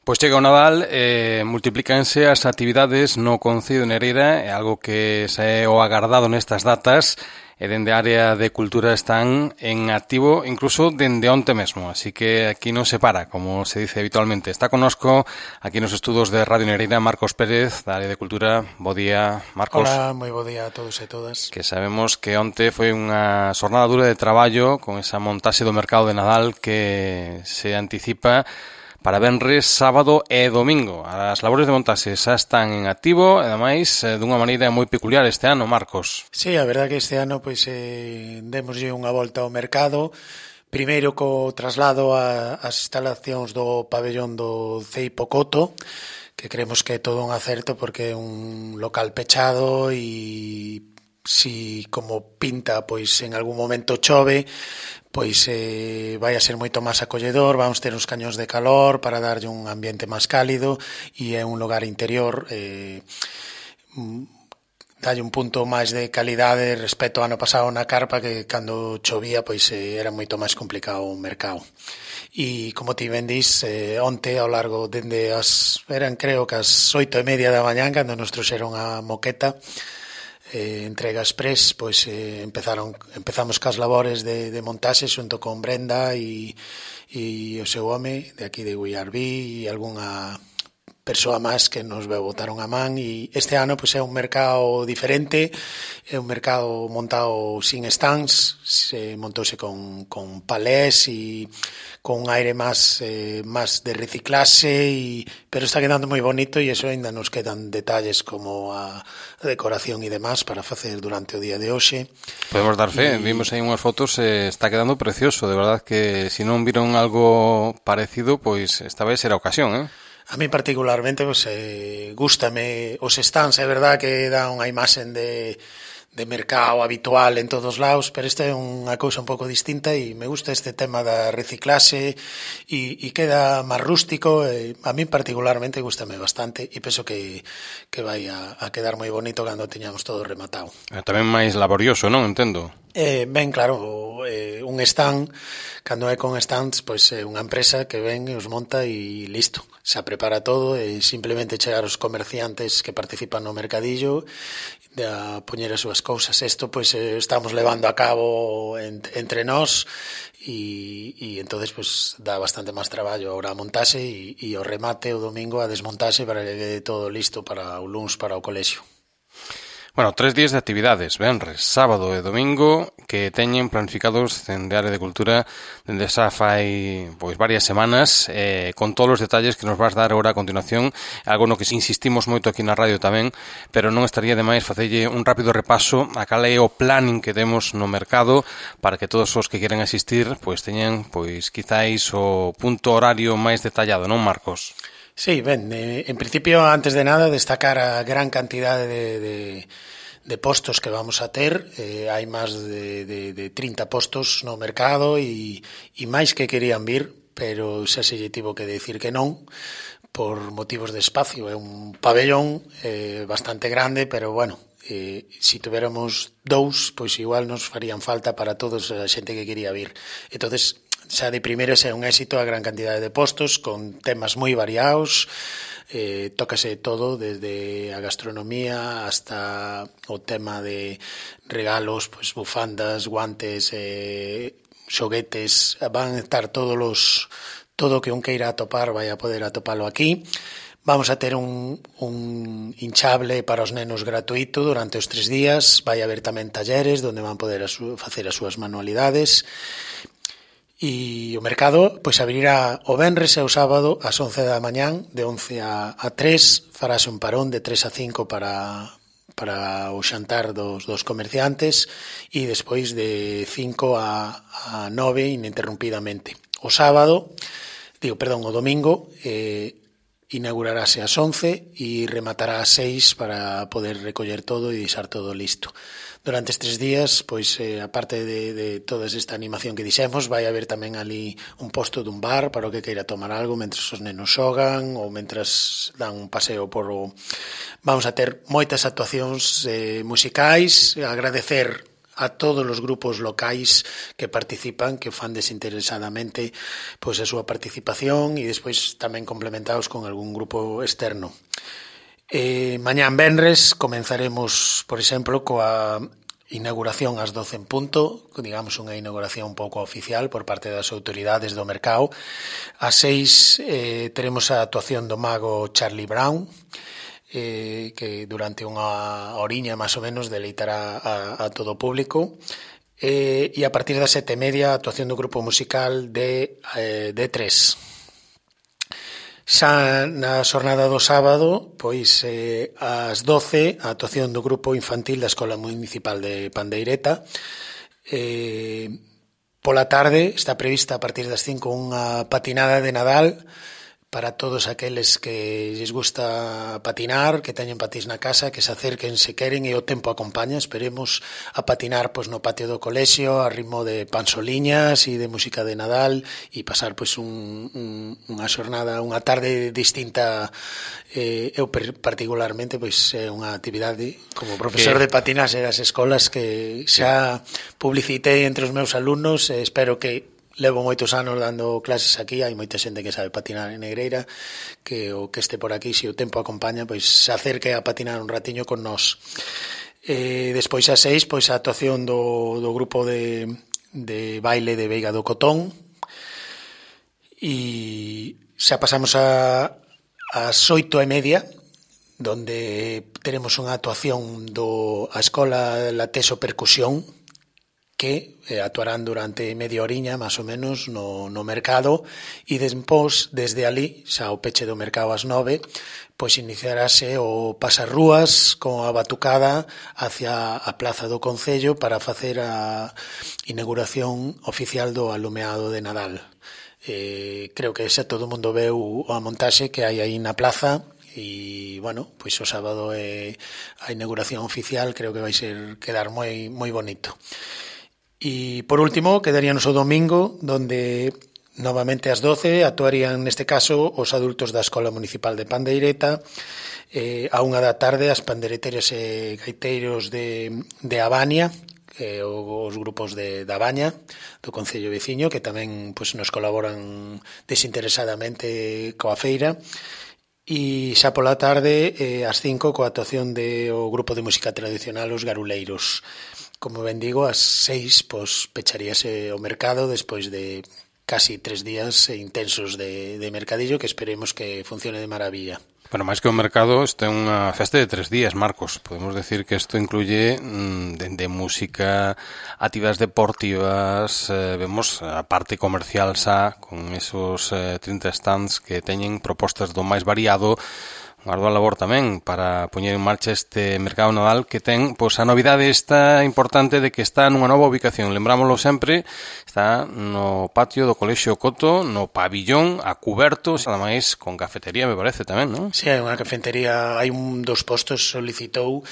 Pois chega o Nadal, multiplícanse as actividades no Concello de Nereira, é algo que se é o agardado nestas datas, e dende a área de cultura están en activo incluso dende onte mesmo, así que aquí non se para, como se dice habitualmente. Está connosco aquí nos estudos de Radio Nereira Marcos Pérez, da área de cultura. Bo día, Marcos. Hola, moi bo día a todos e todas. Que sabemos que onte foi unha xornada dura de traballo con esa montaxe do mercado de Nadal que se anticipa para venres, sábado e domingo. As labores de montaxe xa están en activo, e ademais dunha maneira moi peculiar este ano, Marcos. Sí, a verdade que este ano pois demoslle unha volta ao mercado, primeiro co traslado ás instalacións do pabellón do CEI Pocoto, que creemos que é todo un acerto porque é un local pechado e si como pinta pois en algún momento chove, pois vai a ser moito máis acolledor, vamos ter uns cañóns de calor para darlle un ambiente máis cálido e é un lugar interior, dalle un punto máis de calidade respecto ao ano pasado na carpa, que cando chovía pois era moito máis complicado o mercado. E como ti ben dis, onte ao largo dende eran creo que as 8:30 da mañá cando nos trouxeron a moqueta entrega express, pois empezamos cas labores de montaxe xunto con Brenda e o seu home de aquí de Guiarbí e algunha persoa máis que nos botaron a man. E este ano pois é un mercado diferente, é un mercado montado sin stands, se montouse con palés e con un aire máis de reciclaxe, pero está quedando moi bonito e eso ainda nos quedan detalles como a decoración e demás para facer durante o día de hoxe. Podemos dar fe, vimos aí unhas fotos, está quedando precioso, de verdad que se non viron algo parecido, pois esta vai ser a ocasión, A mí particularmente pues, gústame os stands, é verdad que dá unha imaxen de mercado habitual en todos lados, pero esta é unha cousa un pouco distinta e me gusta este tema da reciclaxe e queda máis rústico. A mí particularmente gústame bastante e penso que vai a quedar moi bonito cando teñamos todo rematado. Tamén máis laborioso, non? Entendo. Ben, claro, un stand, cando é con stands, pois é unha empresa que ven e os monta e listo, xa prepara todo e simplemente chegar os comerciantes que participan no mercadillo a poñer as súas cousas. Isto pois estamos levando a cabo entre nós e entonces pois dá bastante máis traballo ahora a montaxe e o remate o domingo a desmontaxe para que quede todo listo para o luns para o colexio. Bueno, 3 días de actividades, venres, sábado e domingo, que teñen planificados dende a área de cultura dende xa fai pois varias semanas, con todos os detalles que nos vas dar agora a continuación, algo no que insistimos moito aquí na radio tamén, pero non estaría de máis facelle un rápido repaso a cal é o planning que temos no mercado para que todos os que queren asistir pois teñan pois quizáis o punto horario máis detallado, non, Marcos? Sí, ben, en principio, antes de nada, destacar a gran cantidade de postos que vamos a ter. Hai máis de 30 postos no mercado e máis que querían vir, pero xa se lle tivo que decir que non, por motivos de espacio. É un pabellón bastante grande, pero bueno, se tuviéramos 2, pois igual nos farían falta para todos a xente que quería vir. Entonces, xa de primeiro é un éxito a gran cantidade de postos con temas moi variados, tócase todo desde a gastronomía hasta o tema de regalos, pois bufandas, guantes, xoguetes, van a estar todo o que un queira atopar vai a poder atopalo aquí. Vamos a ter un hinchable para os nenos gratuito durante os 3 días, vai haber tamén talleres onde van poder facer as súas manualidades. E o mercado pois abrirá o venres e o sábado ás 11 da mañán, de 11 a 3, farase un parón de 3 a 5 para o xantar dos comerciantes e despois de 5 a 9 ininterrumpidamente. O domingo inaugurarase ás 11 e rematará ás 6 para poder recoller todo e deixar todo listo. Durante estes días, pois, aparte de toda esta animación que dixemos, vai haber tamén ali un posto dun bar para o que queira tomar algo mentre os nenos xogan ou mentras dan un paseo por o... Vamos a ter moitas actuacións musicais, agradecer a todos os grupos locais que participan, que fan desinteresadamente pois a súa participación e despois tamén complementados con algún grupo externo. Mañán venres comenzaremos, por exemplo, coa inauguración ás 12 en punto, digamos unha inauguración un pouco oficial por parte das autoridades do mercado. Ás 6 teremos a actuación do mago Charlie Brown, que durante unha horiña máis ou menos deleitará a todo o público. E a partir das 7:30 a actuación do grupo musical de D3. Xa na xornada do sábado, pois ás 12, a actuación do grupo infantil da Escola Municipal de Pandeireta. Pola tarde está prevista a partir das 5 unha patinada de Nadal para todos aqueles que lles gusta patinar, que teñen patís na casa, que se acerquen se queren e o tempo acompaña. Esperemos a patinar pois no patio do colexio a ritmo de pansoliñas e de música de Nadal e pasar pois unha xornada, unha tarde distinta. Eu particularmente pois é unha actividade como profesor de patinaxe das escolas que xa publicitei entre os meus alumnos e espero que levo moitos anos dando clases aquí, hai moita xente que sabe patinar en Negreira, que o que este por aquí, se o tempo acompaña, pois se acerque a patinar un ratiño con nós. Despois ás 6, pois a actuación do grupo de baile de Veiga do Cotón. E xa pasamos ás 8:30, donde teremos unha actuación a Escola Lateso Percusión, que actuarán durante media horiña, máis ou menos, no mercado, e despois, desde ali, xa o peche do mercado ás 9, pois iniciarase o pasarrúas con a batucada hacia a Plaza do Concello para facer a inauguración oficial do alumeado de Nadal. Creo que xa todo o mundo veu a montaxe que hai aí na plaza, e, bueno, pois o sábado é a inauguración oficial, creo que vai quedar moi bonito. E, por último, quedaríanos o domingo, donde novamente ás 12 actuarían, neste caso, os adultos da Escola Municipal de Pandeireta. A 1 da tarde, as pandereteiras e gaiteiros de Abania, os grupos da Baña, do Concello Veciño, que tamén pois, nos colaboran desinteresadamente coa feira. E xa pola tarde, ás 5, coa actuación do grupo de música tradicional Os Garuleiros. Como ben digo, ás 6 pois, pecharíase o mercado despois de casi 3 días intensos de mercadillo que esperemos que funcione de maravilla. Bueno, máis que o mercado, isto é unha festa de 3 días, Marcos. Podemos decir que isto incluye dende música, actividades deportivas, vemos a parte comercial xa, con esos 30 stands que teñen propostas do máis variado, un ardua labor tamén para poñer en marcha este mercado Nadal que ten pois a novidade esta importante de que está nunha nova ubicación. Lembrámoslo sempre, está no patio do Colexio Coto, no pabillón, a cuberto, ademais con cafetería, me parece tamén, non? Si, hai unha cafetería, hai dos postos solicitou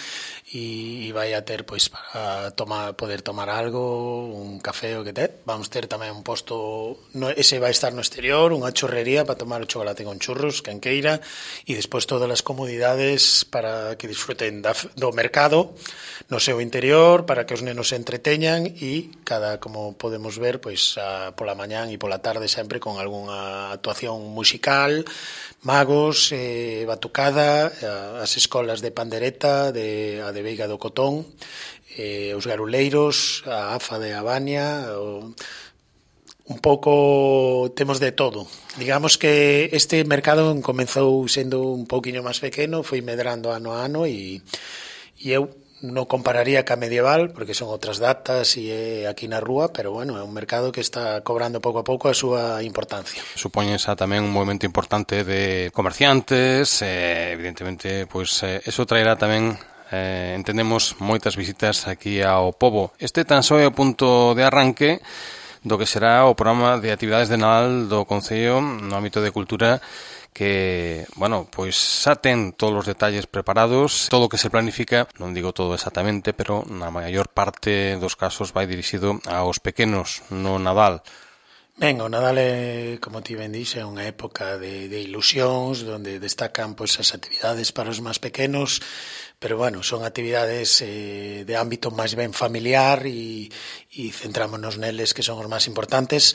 e vai a ter pois para poder tomar algo, un café o que vamos ter tamén un posto, ese vai estar no exterior, unha churrería para tomar o chocolate con churros, quen queira, e despois todas as comodidades para que disfruten do mercado no seu interior, para que os nenos se entreteñan e como podemos ver, pois pola mañán e pola tarde sempre con algunha actuación musical, magos, batucada, as escolas de pandereta, a de Veiga do Cotón, os Garuleiros, a AFA de Abania, un pouco temos de todo. Digamos que este mercado comezou sendo un pouquiño máis pequeno, foi medrando ano a ano e eu non compararía ca medieval porque son outras datas e é aquí na rúa, pero bueno, é un mercado que está cobrando pouco a pouco a súa importancia. Supoñen xa tamén un movimento importante de comerciantes, evidentemente, pois eso traerá tamén entendemos moitas visitas aquí ao pobo. Este tan só é o punto de arranque do que será o programa de actividades de Nadal do Concello no ámbito de cultura que, bueno, pois xa ten todos os detalles preparados, todo o que se planifica, non digo todo exactamente, pero na maior parte dos casos vai dirixido aos pequenos no Nadal. Ben, o Nadal é, como ti ben dix, é unha época de ilusións, onde destacan pois, as actividades para os máis pequenos, pero, bueno, son actividades de ámbito máis ben familiar e centrámonos neles que son os máis importantes.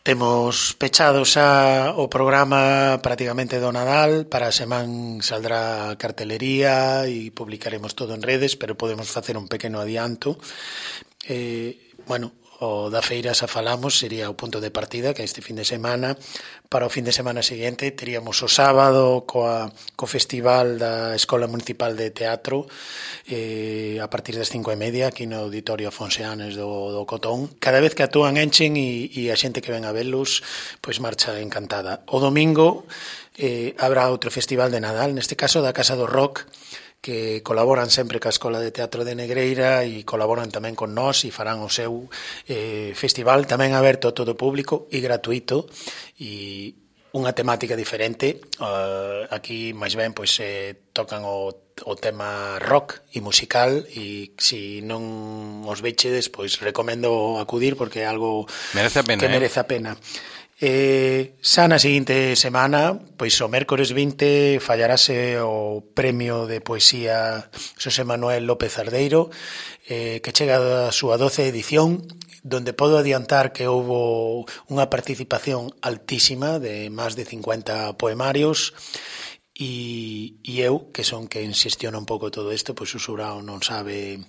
Temos pechado xa o programa prácticamente do Nadal, para a semana saldrá a cartelería e publicaremos todo en redes, pero podemos facer un pequeno adianto. Bueno, o da feira xa falamos, sería o punto de partida, que este fin de semana. Para o fin de semana seguinte teríamos o sábado co festival da Escola Municipal de Teatro a partir das 5:30 aquí no Auditorio Afonseanes do Cotón. Cada vez que actúan enchen e a xente que ven a velos pois marcha encantada. O domingo habrá outro festival de Nadal, neste caso da Casa do Rock, que colaboran sempre ca Escola de Teatro de Negreira e colaboran tamén con nós e farán o seu festival tamén aberto a todo o público e gratuito e unha temática diferente. Aquí máis ben pois tocan o tema rock e musical e se non os vechedes pois recomendo acudir porque é algo merece a pena, que merece a pena. Xa na seguinte semana, pois o mércores 20 fallarase o premio de poesía Xosé Manuel López Ardeiro, que chega a súa 12ª edición, donde podo adiantar que houbo unha participación altísima de máis de 50 poemarios e eu, que son quen xestiona un pouco todo isto, pois o xurao non sabe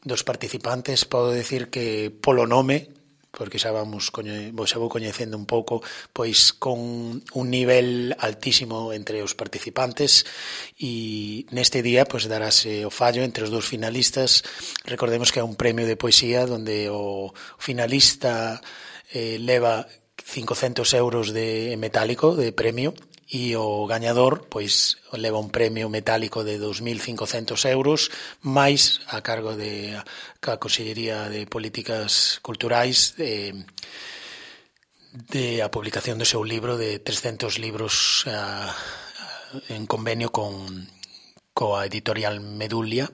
dos participantes, podo decir que polo nome, porque xa vou coñecendo un pouco, pois con un nivel altísimo entre os participantes e neste día pois darase o fallo entre os dous finalistas. Recordemos que é un premio de poesía onde o finalista leva 500 euros de metálico de premio e o gañador pois leva un premio metálico de 2.500 euros máis a cargo da Consellería de Políticas Culturais de a publicación do seu libro de 300 libros en convenio coa editorial Medulia.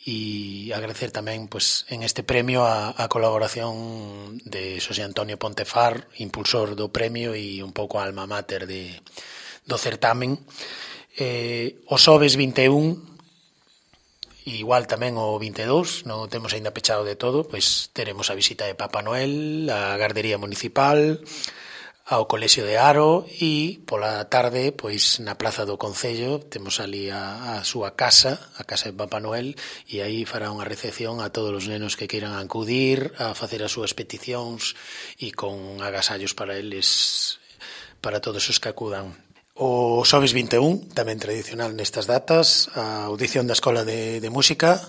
E agradecer tamén pois, en este premio a colaboración de Xosé Antonio Pontefar, impulsor do premio e un pouco alma mater do certamen. O xoves 21, igual tamén o 22, non temos aínda pechado de todo, pois teremos a visita de Papá Noel, a Gardería Municipal, ao Colexio de Aro e pola tarde, pois na Plaza do Concello, temos ali a súa casa, a casa de Papá Noel, e aí fará unha recepción a todos os nenos que queiran acudir a facer as súas peticións e con agasallos para eles, para todos os que acudan. O xoves 21, tamén tradicional nestas datas, a audición da Escola de Música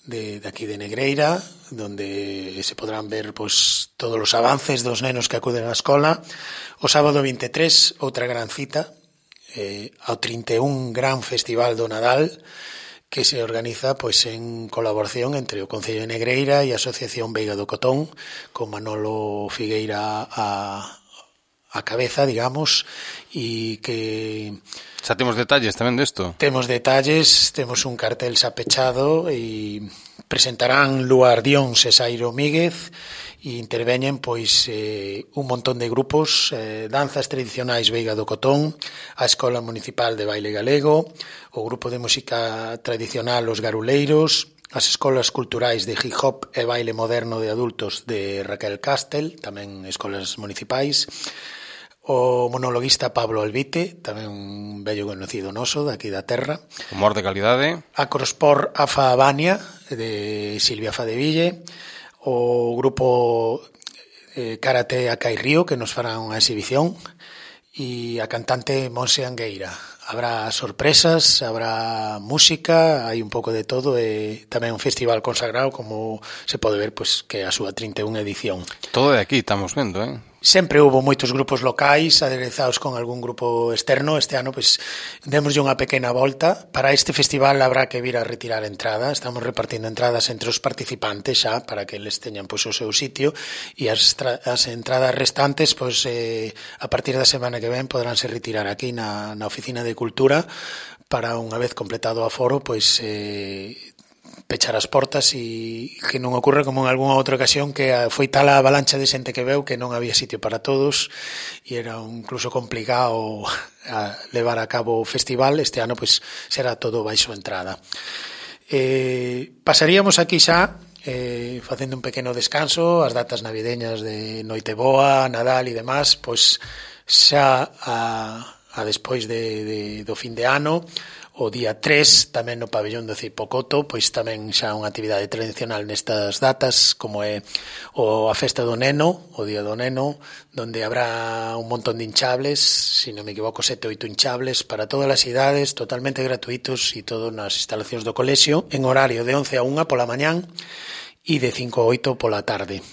de aquí de Negreira, donde se podrán ver pois, todos os avances dos nenos que acuden á escola. O sábado 23, outra gran cita, ao 31 Gran Festival do Nadal, que se organiza pois, en colaboración entre o Concello de Negreira e a Asociación Veiga do Cotón, con Manolo Figueira a cabeza, digamos, e que... Xa temos detalles tamén desto? Temos detalles, temos un cartel xa pechado e presentarán Luar Dións e Sairo Míguez e interveñen pois un montón de grupos, danzas tradicionais Veiga do Cotón, a Escola Municipal de Baile Galego, o grupo de música tradicional Os Garuleiros, as escolas culturais de hip hop e baile moderno de adultos de Raquel Castel, tamén escolas municipais, o monologuista Pablo Albite, tamén un vello conocido noso daqui da terra. Humor de calidade. A Crosport Afa Habania, de Silvia Fadeville, o grupo Karate Acai Río, que nos fará unha exhibición, e a cantante Monse Angueira. Habrá sorpresas, habrá música, hai un pouco de todo, e tamén un festival consagrado, como se pode ver, pois, que é a súa 31 edición. Todo de aquí estamos vendo, Sempre houve moitos grupos locais aderezados con algún grupo externo. Este ano, pois, demoslle unha pequena volta. Para este festival habrá que vir a retirar entrada. Estamos repartindo entradas entre os participantes xa, para que eles teñan pois, o seu sitio, e as entradas restantes, pois, a partir da semana que ven, podránse retirar aquí na Oficina de Cultura para, unha vez completado o aforo, pois, pechar as portas e que non ocorra como en algunha outra ocasión que foi tal a avalancha de xente que veu que non había sitio para todos e era incluso complicado a levar a cabo o festival. Este ano pois será todo baixo entrada. Pasaríamos aquí xa facendo un pequeno descanso as datas navideñas de Noiteboa, Nadal e demás, pois xa a despois do fin de ano. O día 3, tamén no pabellón do Cipocoto, pois tamén xa unha actividade tradicional nestas datas, como é a festa do neno, o día do neno, donde habrá un montón de hinchables, se non me equivoco 7 ou 8 hinchables para todas as idades, totalmente gratuitos e todo nas instalacións do colexio, en horario de 11 a 1 pola mañán e de 5 a 8 pola tarde.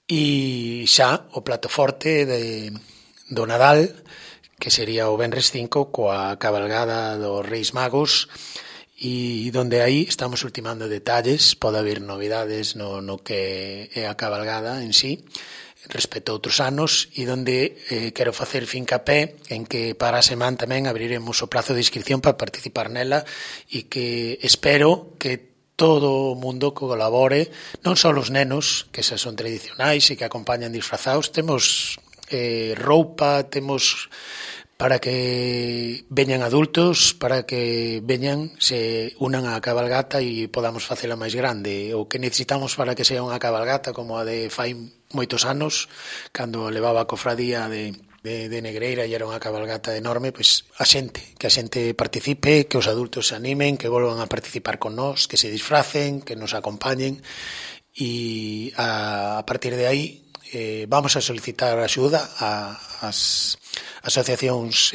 E xa o plato forte do Nadal, que sería o Venres 5 coa cabalgada dos Reis Magos e donde aí estamos ultimando detalles, pode haber novidades no que é a cabalgada en sí respecto a outros anos e donde quero facer fincapé en que para a semana tamén abriremos o prazo de inscripción para participar nela e que espero que todo o mundo colabore, non só os nenos, que xa son tradicionais e que acompañan disfrazados, temos roupa, temos para que veñan adultos, para que veñan, se unan á cabalgata e podamos facela máis grande. O que necesitamos para que sea unha cabalgata como a de fai moitos anos, cando levaba a cofradía de Negreira e era unha cabalgata enorme, pois que a xente participe, que os adultos se animen, que volvan a participar con nós, que se disfracen, que nos acompañen e a partir de aí vamos a solicitar axuda ás asociacións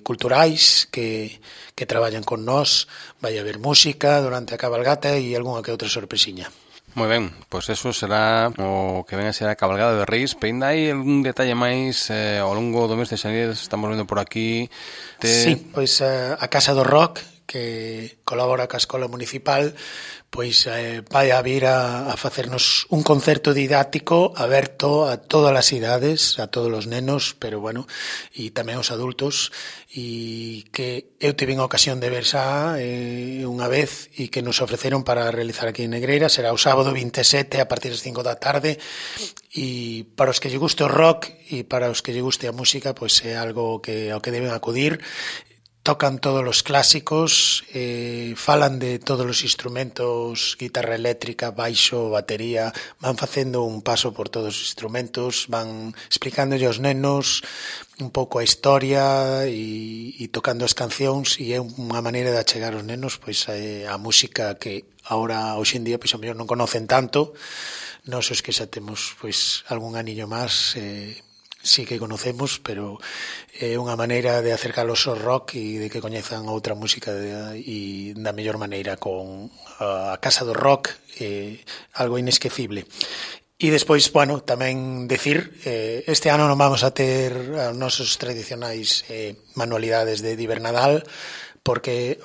culturais que traballan con nós. Vai haber música durante a cabalgata e algunha que outra sorpresiña. Moi ben, pois eso será o que ven a ser a cabalgada de Reis. Pero ainda hai algún detalle máis ao longo do mes de xaneiro, estamos vendo por aquí. Sí, pois a Casa do Rock, que colabora ca Escola Municipal, pois vai a vir a facernos un concerto didáctico aberto a todas as idades, a todos os nenos, pero bueno, e tamén os adultos, e que eu tive a ocasión de ver xa unha vez e que nos ofreceron para realizar aquí en Negreira. Será o sábado 27 a partir das 5 da tarde e para os que lle guste o rock e para os que lle guste a música, pois é algo ao que deben acudir. Tocan todos os clásicos, falan de todos os instrumentos, guitarra eléctrica, baixo, batería, van facendo un paso por todos os instrumentos, van explicándolle aos nenos un pouco a historia e tocando as cancións, e é unha maneira de achegar aos nenos pois a música que agora, hoxe en día, pois a mellor non conocen tanto. Nós os que xa temos pois algún aniño máis, sí que conocemos, pero é unha maneira de acercalos ao rock e de que coñezan outra música e da mellor maneira con a Casa do Rock, algo inesquecible. E despois, bueno, tamén decir, este ano non vamos a ter os nosos tradicionais manualidades de Divernadal, porque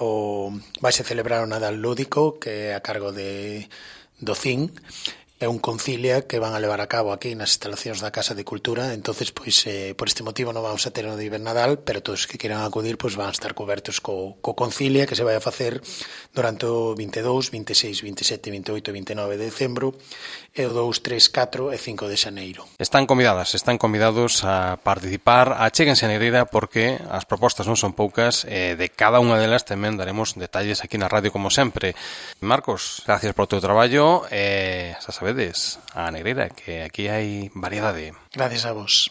vai se celebrar o Nadal Lúdico, que é a cargo do CIN, é un concilia que van a levar a cabo aquí nas instalacións da Casa de Cultura. Entonces, pois, por este motivo non vamos a ter o de Invernadal, pero todos que queiran acudir pois van a estar cobertos co concilia que se vai a facer durante o 22, 26, 27, 28 e 29 de decembro e o 2, 3, 4 e 5 de xaneiro. Están convidados a participar. Achéguense a Negreira porque as propostas non son poucas e de cada unha delas tamén daremos detalles aquí na radio como sempre. Marcos, gracias por o teu traballo e xa sabedes, a Negreira, que aquí hai variedade. Gracias a vos.